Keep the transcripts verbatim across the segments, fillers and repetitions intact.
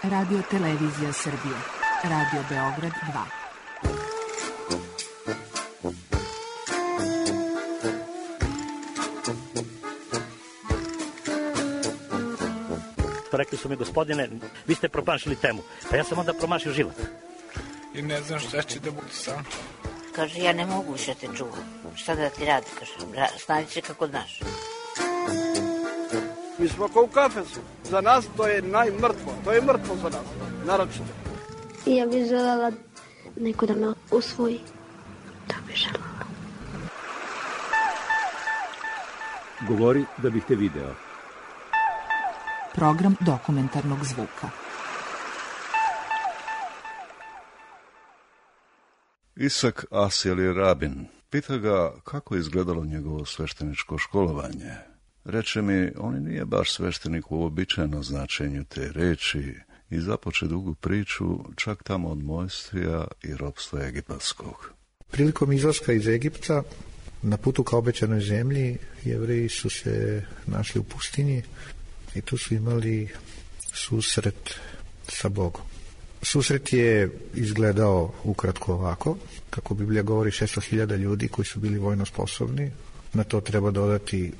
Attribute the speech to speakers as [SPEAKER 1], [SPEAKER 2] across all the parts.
[SPEAKER 1] Radio Televizija Srbije. Radio Beograd dva.
[SPEAKER 2] Rekli su mi, gospodine, vi ste promašili temu. Pa ja sam onda promašio život.
[SPEAKER 3] I ne znam šta će da bude sam.
[SPEAKER 4] Kaže, ja ne mogu više te čuvam. Šta da ti radi, kaže, snađi se kako znaš.
[SPEAKER 5] Mi smo kao u kafesu. Za nas to je najmrtvo. To je mrtvo za nas. Naročito.
[SPEAKER 6] Ja bih želela neko da me usvoji. To bih želela.
[SPEAKER 7] Govori da bih te video.
[SPEAKER 1] Program dokumentarnog zvuka.
[SPEAKER 8] Isak Asil Rabin. Pita ga kako je izgledalo njegovo svešteničko školovanje. Reče mi, on nije baš sveštenik u uobičajenom značenju te reči i započe dugu priču čak tamo od mojstvija i ropstva egipatskog.
[SPEAKER 9] Prilikom izlaska iz Egipta, na putu ka obećanoj zemlji, Jevreji su se našli u pustinji i tu su imali susret sa Bogom. Susret je izgledao ukratko ovako, kako Biblija govori, šesto hiljada ljudi koji su bili vojno sposobni. Na to treba dodati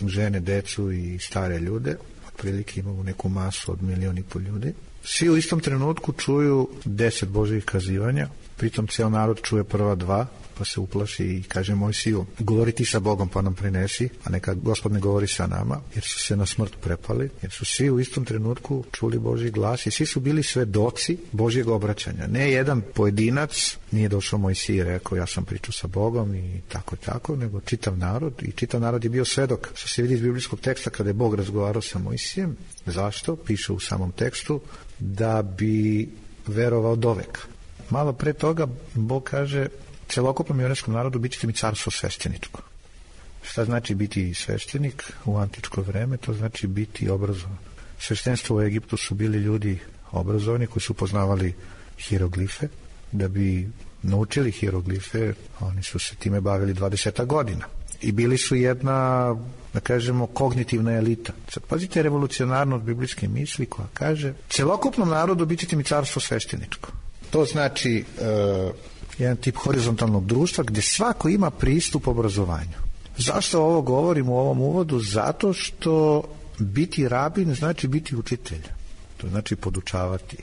[SPEAKER 9] žene, decu i stare ljude. Otprilike imamo neku masu od milion i pol ljudi. Svi u istom trenutku čuju deset Božjih kazivanja, pritom ceo narod čuje prva dva, pa se uplaši i kaže Mojsiju, govori ti sa Bogom pa nam prinesi, a neka Gospod ne govori sa nama, jer su se na smrt prepali, jer su svi u istom trenutku čuli Božji glas i svi su bili svedoci Božjeg obraćanja. Ne jedan pojedinac nije došao Mojsiji i rekao ja sam pričao sa Bogom i tako i tako, nego čitav narod i čitav narod je bio svedok. Što se vidi iz biblijskog teksta kada je Bog razgovarao sa Mojsijem. Zašto? Piše u samom tekstu da bi verovao doveka. Malo pre toga Bog kaže celokupnom jevrejskom narodu bit ćete mi carstvo svešteničko. Šta znači biti sveštenik u antičko vreme? To znači biti obrazovan. Sveštenstvo u Egiptu su bili ljudi obrazovani koji su poznavali hieroglife. Da bi naučili hieroglife, oni su se time bavili dvadeset godina. I bili su jedna, da kažemo, kognitivna elita. Sad pazite revolucionarno od biblijske misli koja kaže celokupnom narodu bit ćete mi carstvo svešteničko. To znači uh, jedan tip horizontalnog društva gdje svako ima pristup obrazovanju. Zašto ovo govorim u ovom uvodu? Zato što biti rabin znači biti učitelj. To znači podučavati.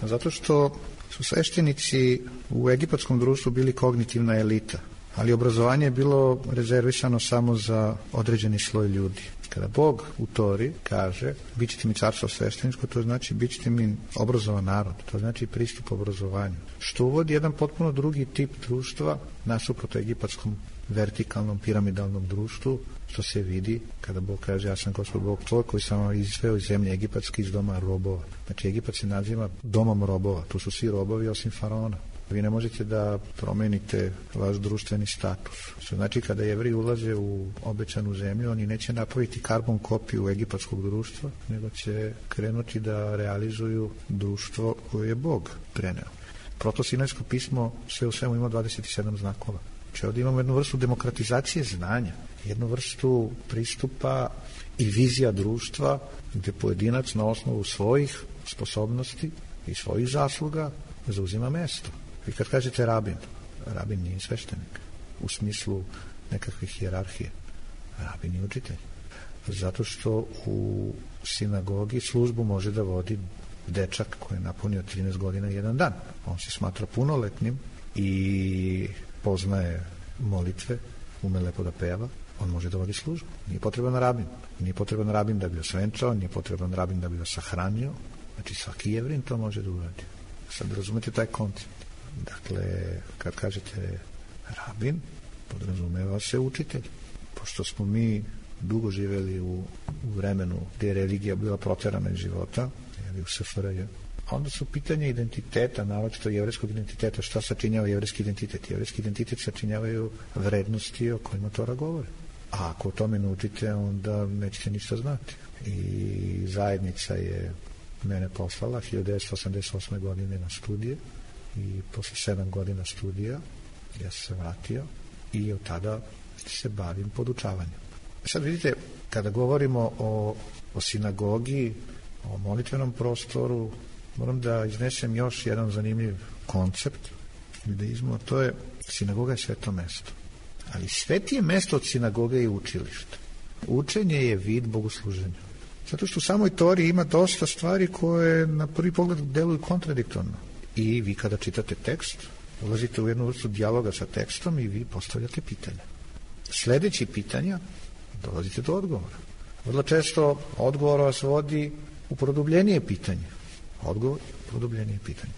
[SPEAKER 9] Zato što su sveštenici u egipatskom društvu bili kognitivna elita, ali obrazovanje je bilo rezervisano samo za određeni sloj ljudi. Kada Bog u Tori kaže bit ćete mi carstvo svešteničko, to znači bit ćete mi obrazovan narod, to znači pristup obrazovanju. Što uvodi jedan potpuno drugi tip društva nasuprot egipatskom vertikalnom piramidalnom društvu, što se vidi kada Bog kaže ja sam Gospod Bog tvoj koji sam vam izveo iz zemlje egipatske iz doma robova. Znači Egipat se naziva domom robova, tu su svi robovi osim faraona. Vi ne možete da promenite vaš društveni status. Što znači kada Jevreji ulaze u obećanu zemlju, oni neće napraviti karbon kopiju egipatskog društva, nego će krenuti da realizuju društvo koje je Bog preneo. Protosinajsko pismo sve u svemu ima dvadeset sedam znakova. Znači ovdje imamo jednu vrstu demokratizacije znanja, jednu vrstu pristupa i vizija društva gdje pojedinac na osnovu svojih sposobnosti i svojih zasluga zauzima mesto. Vi kad kažete rabin, rabin nije sveštenik u smislu nekakve hijerarhije. Rabin je učitelj. Zato što u sinagogi službu može da vodi dečak koji je napunio trinaest godina i jedan dan. On se smatra punoletnim i poznaje molitve, ume lepo da peva, on može da vodi službu. Nije potreban rabin. Nije potreban rabin da bi osvenčao, nije potreban rabin da bi ga sahranio. Znači svaki Jevrin to može da uradi. Sad razumete taj koncept. Dakle, kad kažete rabin, podrazumeva se učitelj. Pošto smo mi dugo živeli u, u vremenu gdje je religija bila proterana iz života, u S F R J, onda su pitanje identiteta, naročito jevrejskog identiteta, šta sačinjava jevrejski identitet? Jevrejski identitet sačinjavaju vrednosti o kojima Tora govori. A ako o tome naučite, onda nećete ništa znati. I zajednica je mene poslala hiljadu devetsto osamdeset osme godine na studije i posle sedam godina studija ja sam se vratio i od tada se bavim podučavanjem. Sad vidite, kada govorimo o, o sinagogi, o molitvenom prostoru, moram da iznesem još jedan zanimljiv koncept u judaizmu, a to je sinagoga je sveto mesto. Ali svetije mesto od sinagoge i učilišta. Učenje je vid bogosluženja. Zato što u samoj Tori ima dosta stvari koje na prvi pogled deluju kontradiktorno. I vi kada čitate tekst, ulazite u jednu vrstu dijaloga sa tekstom i vi postavljate pitanja. Sledeći pitanja, dolazite do odgovora. Vrlo često odgovor vas vodi u produbljenije pitanje. Odgovor, produbljenije pitanje.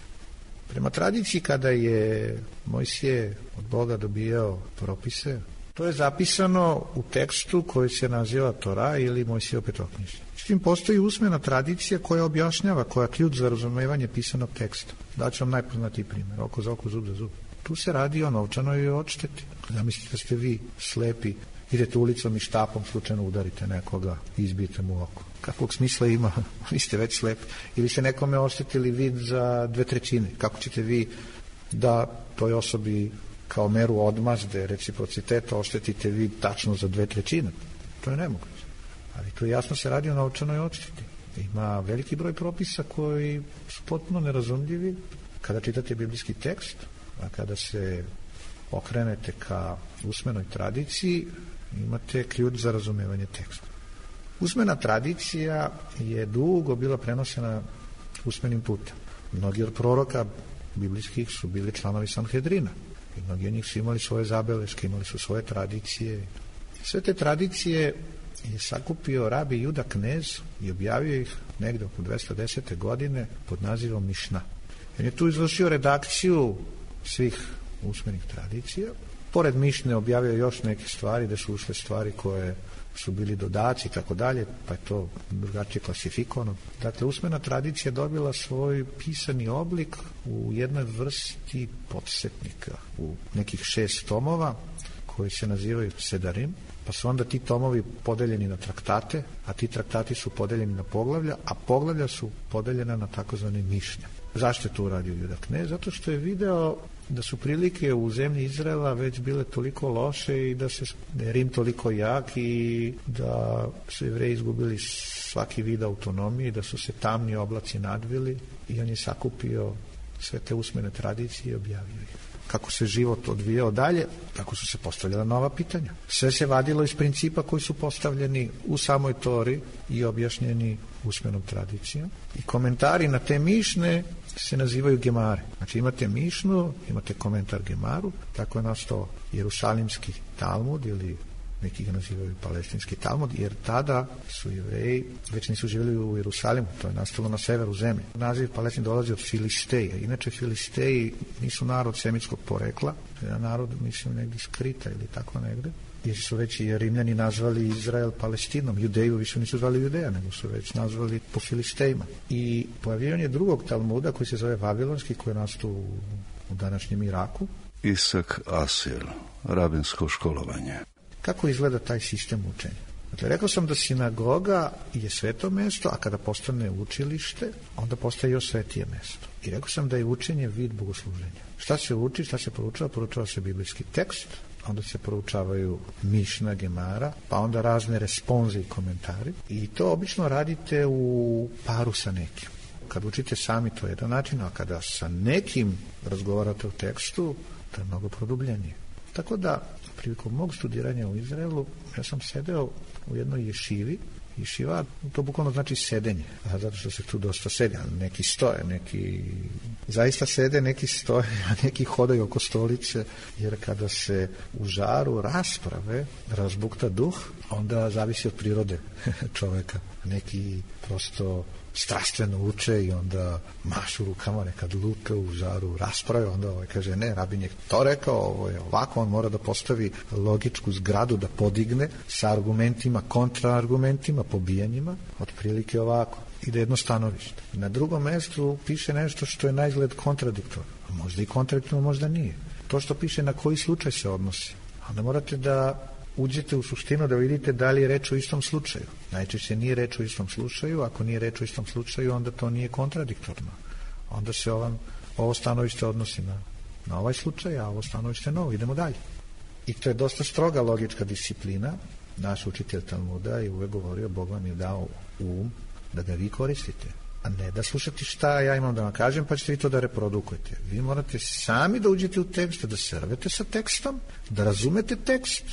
[SPEAKER 9] Prema tradiciji, kada je Mojsije od Boga dobijao propise, to je zapisano u tekstu koji se naziva Tora ili Mojsijevo petoknjižje. S tim postoji usmena tradicija koja objašnjava, koja je ključ za razumevanje pisanog teksta. Daću vam najpoznatiji primjer, oko za oko, zub za zub. Tu se radi o novčanoj odšteti. Zamislite da ste vi slepi, idete ulicom i štapom slučajno udarite nekoga i izbijete mu oko. Kakvog smisla ima? Vi ste već slepi. Ili ste nekome oštetili vid za dve trećine. Kako ćete vi da toj osobi kao meru odmazde, reciprociteta, oštetite vi tačno za dve trećine? To je nemoguće. Ali tu jasno se radi o novčanoj odšteti. Ima veliki broj propisa koji su potpuno nerazumljivi kada čitate biblijski tekst, a kada se okrenete ka usmenoj tradiciji, imate ključ za razumevanje teksta. Usmena tradicija je dugo bila prenosena usmenim putem. Mnogi od proroka biblijskih su bili članovi Sanhedrina. I mnogi od njih su imali svoje zabeleške, imali su svoje tradicije. Sve te tradicije je sakupio rabi Juda Knez i objavio ih negde oko dvesta desete godine pod nazivom Mišna. On je tu izvršio redakciju svih usmenih tradicija. Pored Mišne objavio još neke stvari, da su ušle stvari koje su bili dodaci i tako dalje, pa je to drugačije klasifikovano. Dakle, usmena tradicija dobila svoj pisani oblik u jednoj vrsti podsetnika, u nekih šest tomova koji se nazivaju Sedarim, pa su onda ti tomovi podeljeni na traktate, a ti traktati su podeljeni na poglavlja, a poglavlja su podeljena na takozvane mišnje. Zašto je to uradio Juda Knez? Zato što je video da su prilike u zemlji Izraela već bile toliko loše i da se da je Rim toliko jak i da su Jevreji izgubili svaki vid autonomije, da su se tamni oblaci nadvili i on je sakupio sve te usmene tradicije i objavio ih. Kako se život odvijao dalje, tako su se postavljala nova pitanja. Sve se vadilo iz principa koji su postavljeni u samoj Tori i objašnjeni usmenom tradicijom. I komentari na te mišne se nazivaju gemare. Znači imate mišnu, imate komentar gemaru, tako je nastao Jerusalimski Talmud ili neki ga nazivaju palestinski Talmud, jer tada su Jevreji već nisu živjeli u Jerusalimu, to je nastalo na severu zemlje. Naziv Palestin dolazi od Filisteja. Inače, Filisteji nisu narod semitskog porekla, jedan narod, mislim, negdje skrita ili tako negde, jer su već i Rimljani nazvali Izrael Palestinom. Judeju više nisu zvali Judeja, nego su već nazvali po Filistejima. I pojavljivanje drugog Talmuda koji se zove Vavilonski, koji je nastao u, u današnjem Iraku.
[SPEAKER 8] Isak Asil, rabinsko školovanje.
[SPEAKER 9] Kako izgleda taj sistem učenja? Dakle, rekao sam da sinagoga je sveto mesto, a kada postane učilište, onda postaje još svetije mesto. I rekao sam da je učenje vid bogosluženja. Šta se uči, šta se proučava? Proučava se biblijski tekst, onda se proučavaju mišna, gemara, pa onda razne responze i komentari. I to obično radite u paru sa nekim. Kad učite sami, to je jedan način, a kada sa nekim razgovarate o tekstu, to je mnogo produbljenije. Tako da, prilikom mog studiranja u Izraelu, ja sam sedeo u jednoj ješivi. Ješiva, to bukvalno znači sedenje, a zato što se tu dosta sedi, neki stoje, neki zaista sede, neki stoje, a neki hodaju oko stolice, jer kada se u žaru rasprave razbukta duh, onda zavisi od prirode čoveka. Neki prosto strastveno uče i onda mašu rukama, nekad lute u žaru rasprave, onda ovaj kaže, ne, rabin je to rekao, ovo je ovako, on mora da postavi logičku zgradu, da podigne sa argumentima, kontraargumentima, pobijanjima, otprilike ovako, i da jedno stanovište. Na drugom mestu piše nešto što je na izgled kontradiktorno, možda i kontradiktorno, možda nije. To što piše na koji slučaj se odnosi, onda morate da uđete u suštinu da vidite da li je reč o istom slučaju. Najčešće nije reč o istom slučaju, ako nije reč o istom slučaju, onda to nije kontradiktorno. Onda se ovam, ovo stanovište odnosi na, na ovaj slučaj, a ovo stanovište novo. Idemo dalje. I to je dosta stroga logička disciplina. Naš učitelj Talmuda je uvek govorio, Bog vam je dao um da ga vi koristite. a ne da slušate šta ja imam da vam kažem, pa ćete vi to da reprodukujete. Vi morate sami da uđete u tekst, da se rvete sa tekstom, da razumete tekst,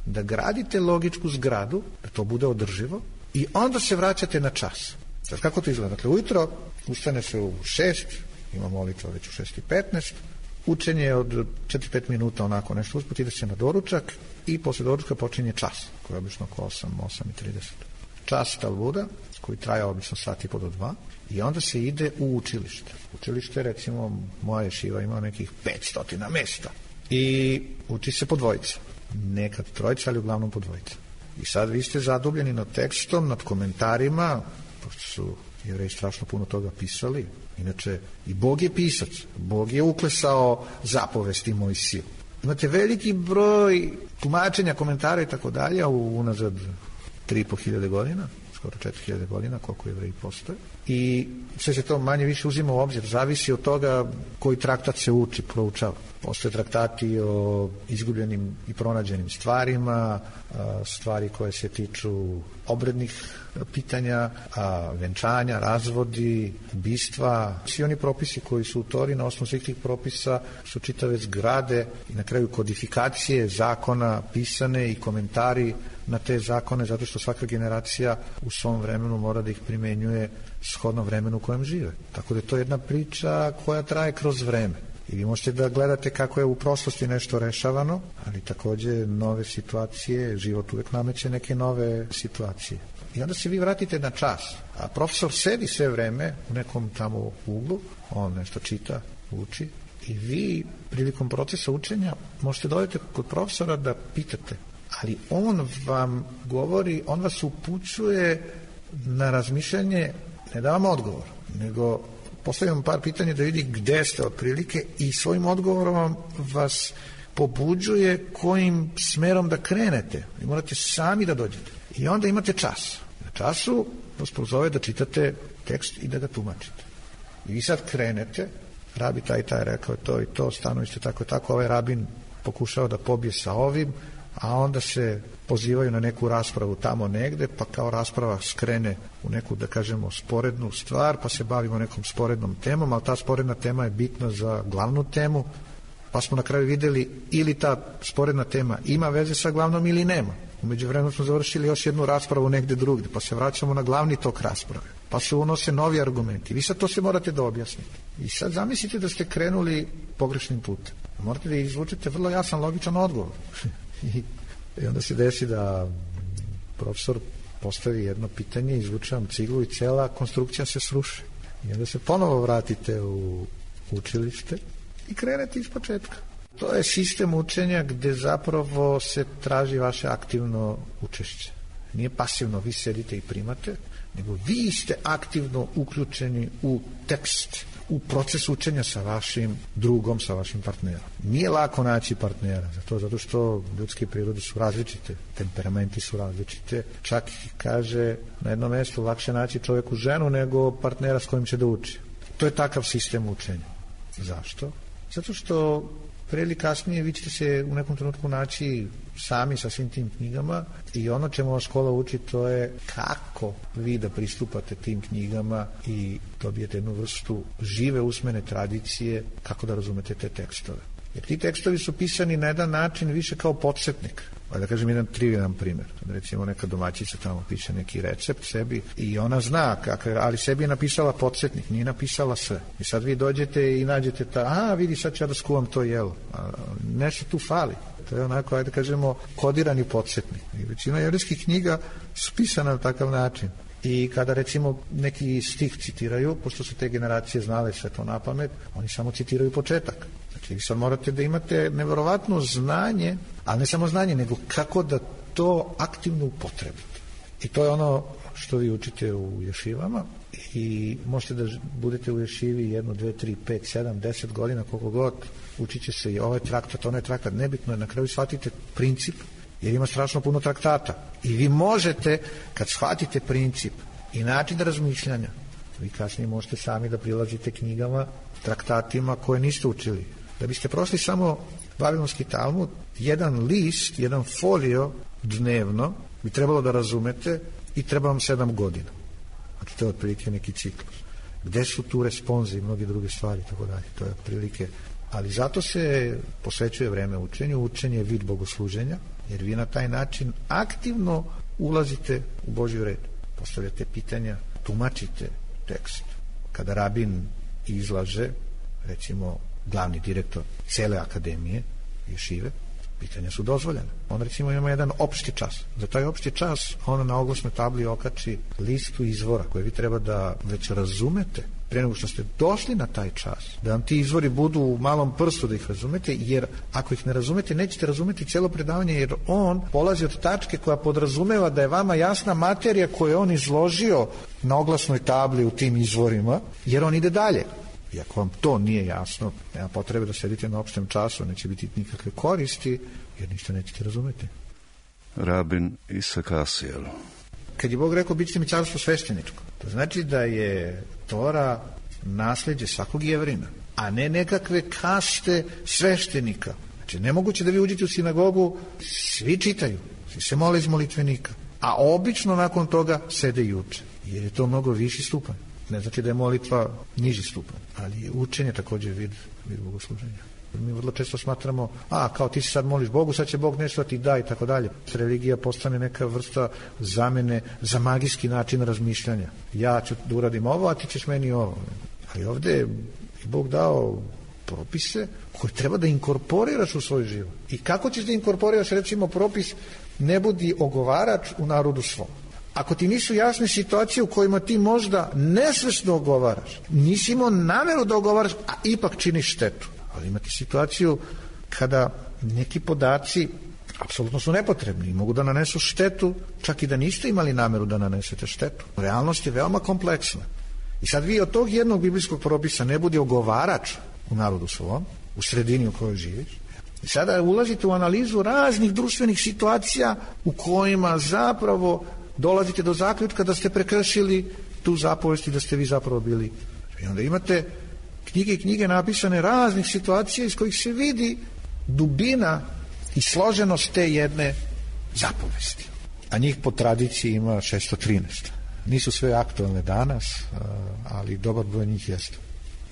[SPEAKER 9] da gradite logičku zgradu, da to bude održivo, i onda se vraćate na čas. Sad, kako to izgleda? Dakle, ujutro ustane se u šest, ima molitva već u šest i petnaest, učenje je od četiri do pet minuta, onako nešto usput, ide se na doručak i posle doručka počinje čas, koji je obično oko osam, osam i trideset. Čas talmuda, koji traje obično sat i po do dva, i onda se ide u učilište. Učilište, recimo, moja ješiva ima nekih petsto mesta. I uči se po dvojica. Nekad trojica, ali uglavnom po dvojica. I sad vi ste zadubljeni nad tekstom, nad komentarima, pošto su Jevreji strašno puno toga pisali. Inače, i Bog je pisac. Bog je uklesao zapovesti Mojsiju. Imate veliki broj tumačenja, komentara i tako dalje, a unazad tri i po hiljade godina, skoro četiri hiljade godina, koliko Jevreji postoje. I sve se to manje više uzima u obzir. Zavisi od toga koji traktat se uči, proučava. Postoje traktati o izgubljenim i pronađenim stvarima, stvari koje se tiču obrednih pitanja, venčanja, razvodi, ubistva. Svi oni propisi koji su u Tori, na osnovu svih tih propisa, su čitave zgrade i na kraju kodifikacije zakona pisane i komentari na te zakone, zato što svaka generacija u svom vremenu mora da ih primenjuje shodno vremenu u kojem žive. Tako da je to jedna priča koja traje kroz vreme. I vi možete da gledate kako je u prošlosti nešto rešavano, ali takođe nove situacije, život uvek nameće neke nove situacije. I onda se vi vratite na čas, a profesor sedi sve vreme u nekom tamo uglu, on nešto čita, uči, i vi prilikom procesa učenja možete dodati kod profesora da pitate, ali on vam govori, on vas upućuje na razmišljanje, ne da vam odgovor, nego postavljam par pitanja da vidi gde ste otprilike i svojim odgovorom vas pobuđuje kojim smerom da krenete. Vi morate sami da dođete. I onda imate čas. Na času vas prozove da čitate tekst i da ga tumačite. I vi sad krenete, rabi taj taj rekao je to i to, stanovište tako i tako, ovaj rabin pokušao da pobije sa ovim, a onda se pozivaju na neku raspravu tamo negde, pa kao rasprava skrene u neku, da kažemo, sporednu stvar, pa se bavimo nekom sporednom temom, ali ta sporedna tema je bitna za glavnu temu, pa smo na kraju videli ili ta sporedna tema ima veze sa glavnom ili nema. U međuvremenu smo završili još jednu raspravu negde drugde, pa se vraćamo na glavni tok rasprave, pa se unose novi argumenti. Vi sad to se morate da objasnite. I sad zamislite da ste krenuli pogrešnim putem. Morate da izvučete vrlo jasan, logičan odgovor. I, I onda se desi da profesor postavi jedno pitanje, izvuče vam ciglu i cela konstrukcija se sruši. I onda se ponovo vratite u učilište i krenete iz početka. To je sistem učenja gde zapravo se traži vaše aktivno učešće. Nije pasivno, vi sedite i primate, nego vi ste aktivno uključeni u tekst, u proces učenja sa vašim drugom, sa vašim partnerom. Nije lako naći partnera, zato, zato što ljudske prirode su različite, temperamenti su različite. Čak kaže na jednom mjestu lakše naći čovjeku ženu nego partnera s kojim će da uči. To je takav sistem učenja. Zašto? Zato što pre ili kasnije vi ćete se u nekom trenutku naći sami sa svim tim knjigama i ono čemu vas škola uči to je kako vi da pristupate tim knjigama i dobijete jednu vrstu žive usmene tradicije kako da razumete te tekstove. Jer ti tekstovi su pisani na jedan način više kao podsjetnik. Da kažem jedan trivialan primjer. Recimo neka domaćica tamo piše neki recept sebi i ona zna, kako, ali sebi je napisala podsjetnik, nije napisala sve. I sad vi dođete i nađete ta, a vidi sad ću ja da skuvam to jelo. A, nešto tu fali. To je onako, ajde kažemo, kodirani podsjetnik. I većina jevrejskih knjiga su pisana na takav način. I kada recimo neki stih citiraju, pošto su te generacije znale sve to na pamet, oni samo citiraju početak. Znači vi sad morate da imate neverovatno znanje, ali ne samo znanje, nego kako da to aktivno upotrebite. I to je ono što vi učite u ješivama i možete da budete u ješivi jedno, dve, tri, pet, sedam, deset godina, koliko god, učit će se i ovaj traktat, onaj traktat, nebitno je, na kraju shvatite princip, jer ima strašno puno traktata. I vi možete, kad shvatite princip i način razmišljanja, vi kasnije možete sami da prilazite knjigama, traktatima koje niste učili. Da biste prošli samo Vavilonski Talmud, jedan list, jedan folio dnevno bi trebalo da razumete i treba vam sedam godina. Znači to je otprilike neki ciklus. Gde su tu responze i mnoge druge stvari, tako dalje. To je prilike. Ali zato se posvećuje vreme učenju. Učenje je vid bogosluženja, jer vi na taj način aktivno ulazite u Božji red. Postavljate pitanja, tumačite tekst. Kada rabin izlaže, recimo glavni direktor cele akademije ješive, pitanja su dozvoljene. On recimo ima jedan opšti čas. Za taj opšti čas on na oglasnoj tabli okači listu izvora koje vi treba da već razumete pre nego što ste došli na taj čas, da vam ti izvori budu u malom prstu da ih razumete, jer ako ih ne razumete, nećete razumeti cijelo predavanje, jer on polazi od tačke koja podrazumeva da je vama jasna materija koju je on izložio na oglasnoj tabli u tim izvorima, jer on ide dalje. I ako vam to nije jasno, nema potrebe da sedite na opštem času, neće biti nikakve koristi, jer ništa nećete razumeti.
[SPEAKER 8] Rabin Isak Asiel.
[SPEAKER 9] Kad je Bog rekao, bit ćete mi carstvo svešteničko, to znači da je Tora nasljeđe svakog Jevrina, a ne nekakve kaste sveštenika. Znači, nemoguće da vi uđete u sinagogu, svi čitaju, svi se mole iz molitvenika, a obično nakon toga sede i uče, jer je to mnogo viši stupanj. Ne znači da je molitva niži stupanj, ali je učenje također vid, vid bogosluženja. Mi vrlo često smatramo, a kao ti se sad moliš Bogu, sad će Bog nešto ti da i tako dalje. Religija postane neka vrsta zamene za magijski način razmišljanja. Ja ću da uradim ovo, a ti ćeš meni ovo. Ali ovdje je Bog dao propise koje treba da inkorporiraš u svoj život. I kako ćeš da inkorporiraš, recimo, propis ne budi ogovarač u narodu svom. Ako ti nisu jasne situacije u kojima ti možda nesvesno ogovaraš, nisi imao nameru da ogovaraš, a ipak činiš štetu. Ali imate situaciju kada neki podaci apsolutno su nepotrebni i mogu da nanesu štetu, čak i da niste imali nameru da nanesete štetu. Realnost je veoma kompleksna. I sad vi od tog jednog biblijskog propisa ne budi ogovarač u narodu svom, u sredini u kojoj živiš. I sada ulazite u analizu raznih društvenih situacija u kojima zapravo dolazite do zaključka da ste prekršili tu zapovest i da ste vi zapravo bili. I onda imate knjige i knjige napisane raznih situacija iz kojih se vidi dubina i složenost te jedne zapovesti. A njih po tradiciji ima šesto trinaest. Nisu sve aktualne danas, ali dobar broj njih jeste.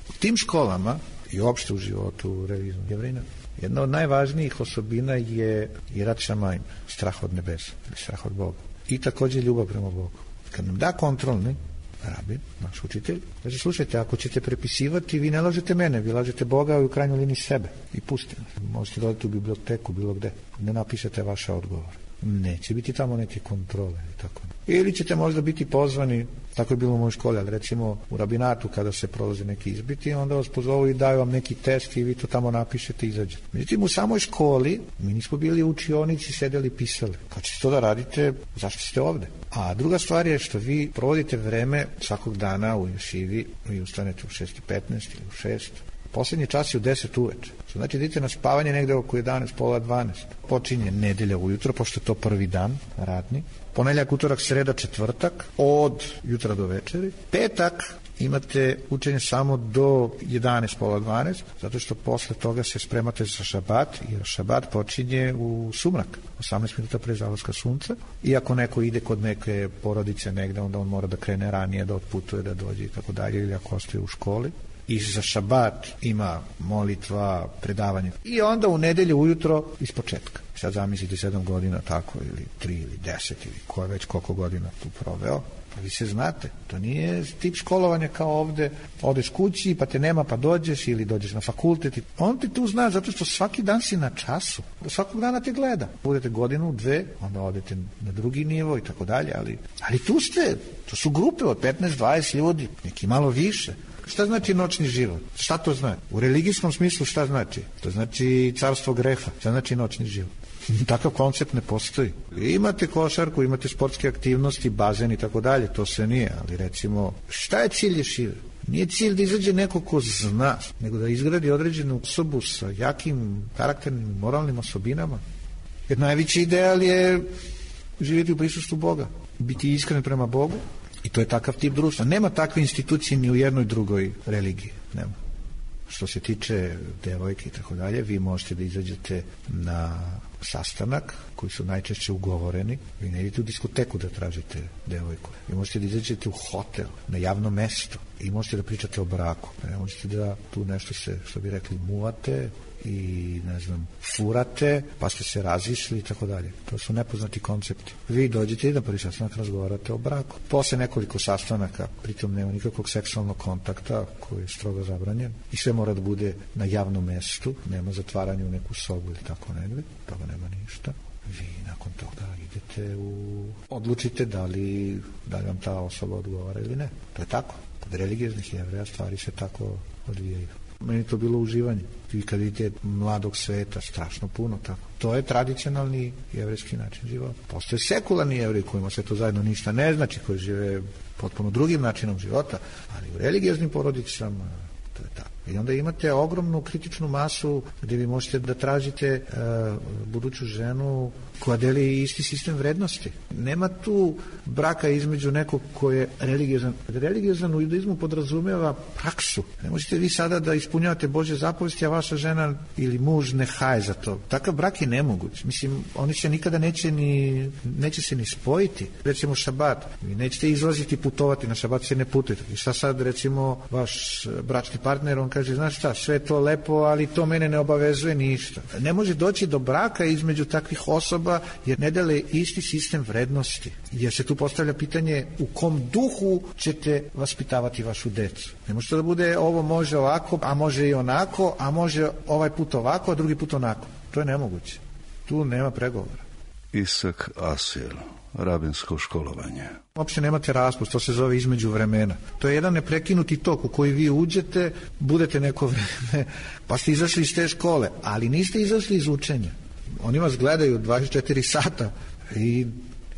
[SPEAKER 9] U tim školama i uopšte u životu religijnog Jevrina, jedna od najvažnijih osobina je Irat Šamajim, strah od nebesa, strah od Boga. I također ljubav prema Bogu. Kad nam da kontrolni rabin, naš učitelj, kaže, slušajte, ako ćete prepisivati, vi ne lažete mene, vi lažete Boga i u krajnjoj liniji sebe. I pustite. Možete dodati u biblioteku, bilo gde. Ne napišete vaše odgovore. Neće biti tamo neke kontrole. I tako. Ili ćete možda biti pozvani, tako je bilo u mojoj školi, ali recimo u rabinatu kada se prolaze neki izbiti, onda vas pozovu i daju vam neki test i vi to tamo napišete i izađete. Međutim, u samoj školi mi nismo bili u učionici, sedeli i pisali. Kad ćete to da radite, zašto ste ovde? A druga stvar je što vi provodite vreme svakog dana u ješivi, vi ustanete u šest i petnaest ili u šest. Posljednji čas je u deset uveče. Znači, idete na spavanje negde oko jedanaest, pola dvanaest. Počinje nedelja ujutro, pošto je to prvi dan radni. Ponedjeljak, utorak, sreda, četvrtak, od jutra do večeri. Petak imate učenje samo do jedanaest, pola dvanaest, zato što posle toga se spremate za šabat, jer šabat počinje u sumrak, osamnaest minuta pre zalaska sunca. I ako neko ide kod neke porodice negde, onda on mora da krene ranije, da otputuje, da dođe i tako dalje, ili ako ostaje u školi. I za šabat ima molitva, predavanje. I onda u nedelju ujutro iz početka. Sad zamislite sedam godina tako, ili tri, ili deset, ili ko je već koliko godina tu proveo. Pa vi se znate, to nije tip školovanja kao ovde, odeš kući, pa te nema, pa dođeš, ili dođeš na fakultet. On ti tu zna, zato što svaki dan si na času. Svakog dana te gleda. Budete godinu, dve, onda odete na drugi nivo i tako dalje, ali, ali tu ste, to su grupe od petnaest dvadeset ljudi, neki malo više. Šta znači noćni život? Šta to znači? U religijskom smislu šta znači? To znači carstvo greha. Šta znači noćni život? Takav koncept ne postoji. Imate košarku, imate sportske aktivnosti, bazen i tako dalje, to sve nije, ali recimo, šta je cilj ješive? Nije cilj da izađe neko ko zna, nego da izgradi određenu osobu sa jakim karakternim, moralnim osobinama. Jer najveći ideal je živjeti u prisustvu Boga, biti iskren prema Bogu. I to je takav tip društva. Nema takve institucije ni u jednoj drugoj religiji. Nema. Što se tiče devojke i tako dalje, vi možete da izađete na sastanak koji su najčešće ugovoreni. Vi ne idete u diskoteku da tražite devojku. Vi možete da izađete u hotel, na javno mesto i možete da pričate o braku. Ne možete da tu nešto se, što bi rekli, muvate i, ne znam, furate, pa ste se razišli i tako dalje. To su nepoznati koncepti. Vi dođete i na prvi sastanak razgovarate o braku. Posle nekoliko sastanaka, pritom nema nikakvog seksualnog kontakta koji je strogo zabranjen i sve mora da bude na javnom mestu, nema zatvaranja u neku sobu ili tako negde, toga nema ništa. Vi nakon toga idete u... odlučite da li, da li vam ta osoba odgovara ili ne. To je tako. Kod religijeznih Jevreja stvari se tako odvijaju. Meni to bilo uživanje. Vi kad vidite mladog sveta, strašno puno tako. To je tradicionalni jevrejski način života. Postoje sekularni jevreji kojima se to zajedno ništa ne znači, koji žive potpuno drugim načinom života, ali u religijeznim porodicama to je tako. I onda imate ogromnu kritičnu masu gdje vi možete da tražite uh, buduću ženu koja deli isti sistem vrednosti. Nema tu braka između nekog ko je religiozan. Religiozan u judaizmu podrazumeva praksu. Ne možete vi sada da ispunjavate Božje zapovesti, a vaša žena ili muž ne haje za to. Takav brak je nemoguć. Mislim, oni se nikada neće ni, neće se ni spojiti. Recimo šabat. Vi nećete izlaziti putovati, na šabat se ne putujete. I šta sad, recimo, vaš bračni partner, on kaže, znaš šta, sve to lepo, ali to mene ne obavezuje ništa. Ne može doći do braka između takvih osoba jer ne dele isti sistem vrednosti. Jer se tu postavlja pitanje u kom duhu ćete vaspitavati vašu decu. Ne može to da bude ovo može ovako, a može i onako, a može ovaj put ovako, a drugi put onako. To je nemoguće. Tu nema pregovora.
[SPEAKER 8] Isak Asiel, rabinsko školovanje.
[SPEAKER 9] Uopšte nemate raspust, to se zove između vremena. To je jedan neprekinuti tok u koji vi uđete, budete neko vreme, pa ste izašli iz te škole, ali niste izašli iz učenja. Oni vas gledaju dvadeset četiri sata i,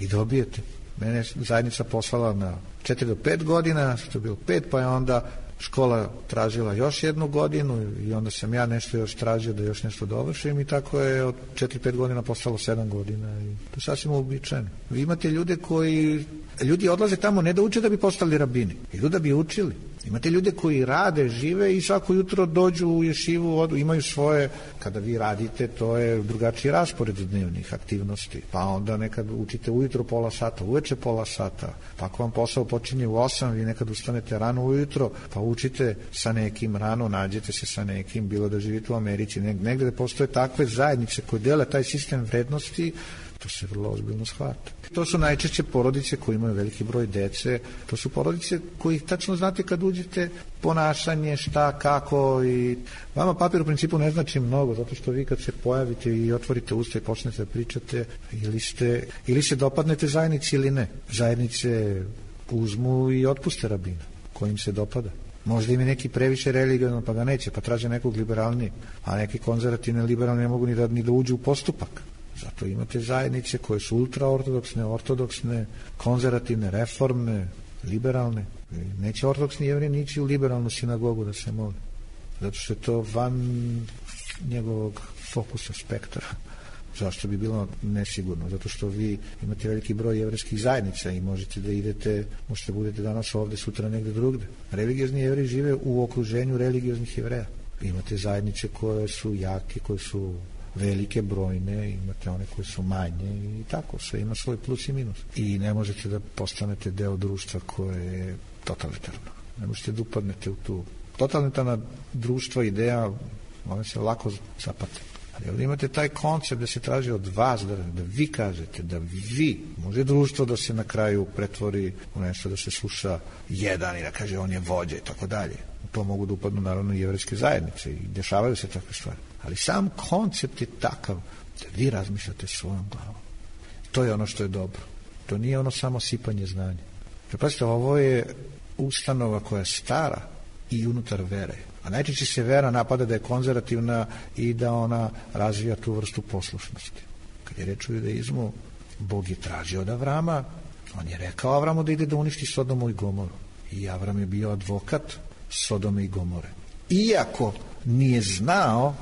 [SPEAKER 9] i dobijete. Mene je zajednica poslala na četiri do pet godina, što je bilo pet, pa je onda škola tražila još jednu godinu i onda sam ja nešto još tražio da još nešto dovršim i tako je od četiri pet godina postalo sedam godina i to je sasvim uobičajeno. Vi imate ljude koji, ljudi odlaze tamo ne da uče da bi postali rabini, idu da bi učili. Imate ljude koji rade, žive i svako jutro dođu u ješivu, odu, imaju svoje, kada vi radite, to je drugačiji raspored dnevnih aktivnosti. Pa onda nekad učite ujutro pola sata, uveče pola sata, pa ako vam posao počinje u osam, vi nekad ustanete rano ujutro, pa učite sa nekim rano, nađete se sa nekim, bilo da živite u Americi, negde da postoje takve zajednice koje dele taj sistem vrednosti, to se vrlo ozbiljno shvata. To su najčešće porodice koje imaju veliki broj dece, to su porodice koji tačno znate kad uđete ponašanje, šta, kako i vama papir u principu ne znači mnogo, zato što vi kad se pojavite i otvorite usta i počnete da pričate, ili, ste, ili se dopadnete zajednici ili ne. Zajednice uzmu i otpuste rabina kojim se dopada. Možda im je neki previše religiovan pa ga neće, pa traže nekog liberalnijeg, a neki konzervativni liberalni ne mogu ni da, ni da uđu u postupak. Zato imate zajednice koje su ultraortodoksne, ortodoksne, konzervativne, reformne, liberalne. Neće ortodoksni jevrej nići u liberalnu sinagogu da se moli. Zato što je to van njegovog fokusa, spektra. Zašto bi bilo nesigurno? Zato što vi imate veliki broj jevrejskih zajednica i možete da idete, možete da budete danas ovde, sutra negde drugde. Religiozni jevreji žive u okruženju religioznih jevreja. Imate zajednice koje su jake, koje su velike, brojne, imate one koje su manje i tako, sve ima svoj plus i minus. I ne možete da postanete deo društva koje je totalitarno. Ne možete da upadnete u tu totalitarna društva, ideja, one se lako zapate. Ali ovdje imate taj koncept da se traži od vas, da, da vi kažete, da vi, može društvo da se na kraju pretvori u nešto da se sluša jedan i da kaže on je vođa i tako dalje. U to mogu da upadnu naravno i jevrejske zajednice i dešavaju se takve stvari. Ali sam koncept je takav da vi razmišljate svojom glavom. To je ono što je dobro. To nije ono samo sipanje znanja. Prepazite, ovo je ustanova koja je stara i unutar vere. A najčešće se vera napada da je konzervativna i da ona razvija tu vrstu poslušnosti. Kad je reč o judaizmu, Bog je tražio od Avrama, on je rekao Avramu da ide da uništi Sodomu i Gomoru. I Avram je bio advokat Sodome i Gomore. Iako nije znao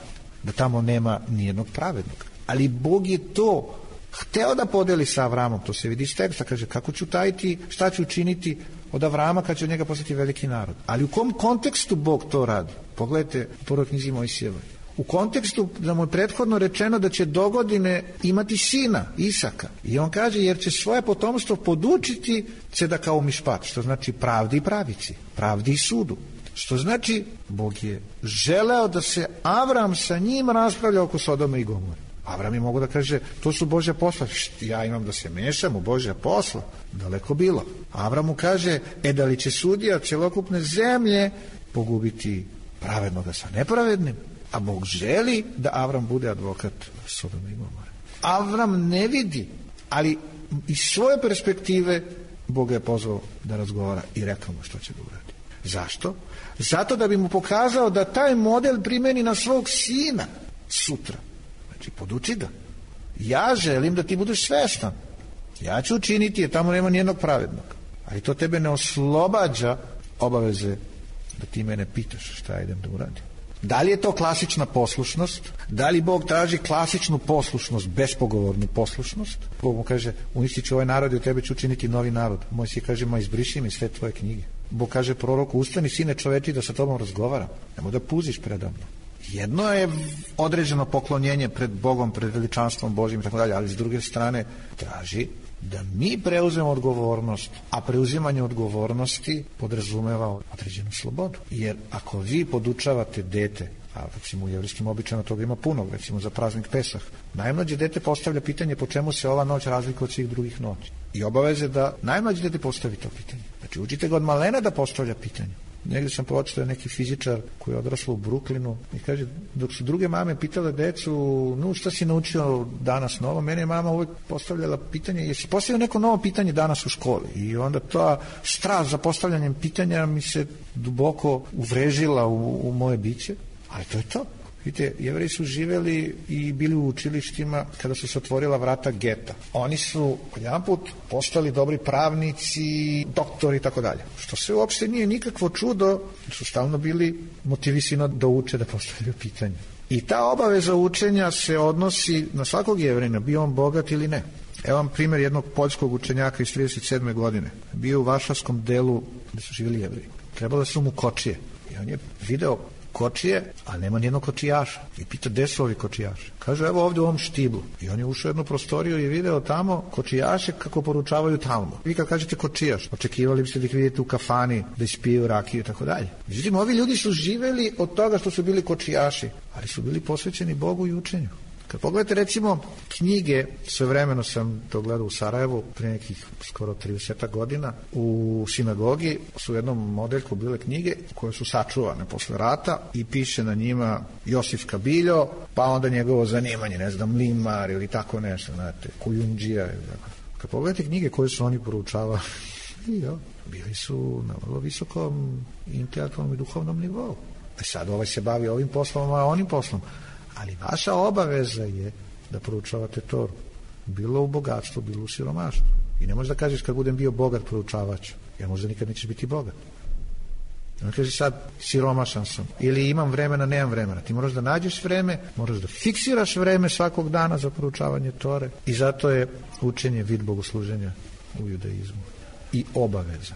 [SPEAKER 9] da tamo nema nijednog pravednog. Ali Bog je to hteo da podeli sa Avramom, to se vidi iz teksta, kaže kako ću tajiti, šta ću učiniti od Avrama kad će od njega postati veliki narod. Ali u kom kontekstu Bog to radi? Pogledajte u prvoj knjizi Mojsijevoj. u kontekstu da mu je prethodno rečeno da će dogodine imati sina, Isaka. I on kaže, jer će svoje potomstvo podučiti se da kao mišpat, što znači pravdi i pravici, pravdi i sudu. Što znači, Bog je želeo da se Avram sa njim raspravlja oko Sodome i Gomore. Avram je mogu da kaže, to su Božja posla, ja imam da se mešam u Božja posla, daleko bilo. Avram mu kaže, e da li će sudija celokupne zemlje pogubiti pravednoga sa nepravednim? A Bog želi da Avram bude advokat Sodome i Gomore. Avram ne vidi, ali iz svoje perspektive Bog je pozvao da razgovara i rekao mu što će da uradi. Zašto? Zato da bi mu pokazao da taj model primeni na svog sina sutra. Znači, poduči ga. Ja želim da ti budeš svestan. Ja ću učiniti, jer tamo nema nijednog pravednog. Ali to tebe ne oslobađa obaveze da ti mene pitaš šta idem da uradim. Da li je to klasična poslušnost? Da li Bog traži klasičnu poslušnost, bespogovornu poslušnost? Bog mu kaže, uništiću ovaj narod i od tebe ću učiniti novi narod. Mojsije kaže, ma izbriši mi sve tvoje knjige. Bog kaže proroku, ustani sine čoveči da sa tobom razgovaram. Nemoj da puziš predavno. Jedno je određeno poklonjenje pred Bogom, pred veličanstvom Božjim i tako dalje, ali s druge strane traži da mi preuzmemo odgovornost, a preuzimanje odgovornosti podrazumeva određenu slobodu. Jer ako vi podučavate dete, a recimo u jevrijskim običajima toga ima puno, recimo za praznik Pesah, najmlađe dete postavlja pitanje po čemu se ova noć razlikuje od svih drugih noći. I obaveze da najmlađe dete postavi to pitanje. Znači učite ga od malena da postavlja pitanje. Negdje sam pročitao neki fizičar koji je odraslo u Brooklynu i kaže, dok su druge mame pitale decu, no šta si naučio danas novo, mene je mama uvijek postavljala pitanje, jesi postavio neko novo pitanje danas u školi? I onda ta strast za postavljanjem pitanja mi se duboko uvrežila u, u moje biće, ali to je to. Vidite, Jevreji su živeli i bili u učilištima kada su se otvorila vrata geta. Oni su jedan put postali dobri pravnici, doktori i tako dalje. Što se uopšte nije nikakvo čudo, su stalno bili motivisani da uče, da postavljaju pitanje. I ta obaveza učenja se odnosi na svakog Jevrejina, bio on bogat ili ne. Evo vam primjer jednog poljskog učenjaka iz trideset sedme godine. Bio u Varšavskom delu gde su živjeli Jevreji. Trebale su mu kočije. I on je video kočije, a nema nijednog kočijaša. I pita, gde su ovi kočijaši? Kaže, evo ovdje u ovom štiblu. I on je ušao u jednu prostoriju i video tamo kočijaše kako poručavaju Talmud. Vi kad kažete kočijaš, očekivali biste da ih vidite u kafani, da ispiju rakiju i tako dalje. Međutim, ovi ljudi su živeli od toga što su bili kočijaši, ali su bili posvećeni Bogu i učenju. Kad pogledate recimo knjige, svevremeno sam to gledao u Sarajevu pre nekih skoro trideset godina, u sinagogi su u jednom modeljku bile knjige koje su sačuvane posle rata i piše na njima Josif Kabiljo, pa onda njegovo zanimanje, ne znam, limar ili tako nešto, znate, kujundžija. Kad pogledate knjige koje su oni poručavali, bili su na vrlo visokom intelektualnom i duhovnom nivou. A sad ovaj se bavi ovim poslom, a onim poslom. Ali vaša obaveza je da proučavate Toru. Bilo u bogatstvu, bilo u siromaštvu. I ne možeš da kažeš kad budem bio bogat proučavač, jer možda nikad nećeš biti bogat. Ne kažeš sad siromašan sam ili imam vremena, nemam vremena. Ti moraš da nađeš vreme, moraš da fiksiraš vreme svakog dana za proučavanje Tore i zato je učenje vid bogosluženja u judaizmu. I obaveza.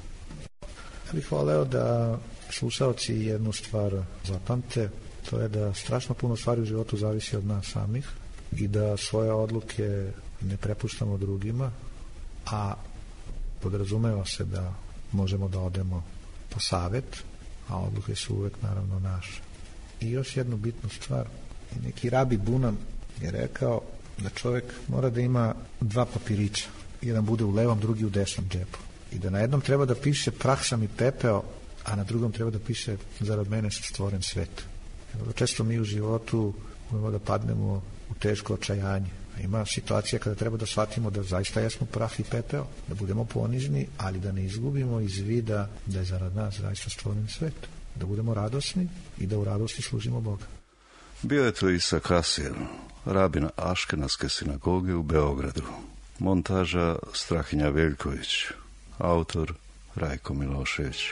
[SPEAKER 9] Ja bih voleo da slušaoci jednu stvar zapamte, to je da strašno puno stvari u životu zavisi od nas samih i da svoje odluke ne prepuštamo drugima, a podrazumeva se da možemo da odemo po savet, a odluke su uvek naravno naše. I još jednu bitnu stvar, neki rabi Bunan je rekao da čovjek mora da ima dva papirića, jedan bude u levom, drugi u desnom džepu. I da na jednom treba da piše prah sam i pepeo, a na drugom treba da piše zarad mene stvoren svet. Često mi u životu možemo da padnemo u teško očajanje. Ima situacija kada treba da shvatimo da zaista jesmo prah i pepeo, da budemo ponižni, ali da ne izgubimo iz vida da je zarad nas zaista stvoren svet. Da budemo radosni i da u radosti služimo Boga.
[SPEAKER 8] Bio je to Isak Asir, rabin Aškenaske sinagoge u Beogradu. Montaža Strahinja Veljković, autor Rajko Milošević.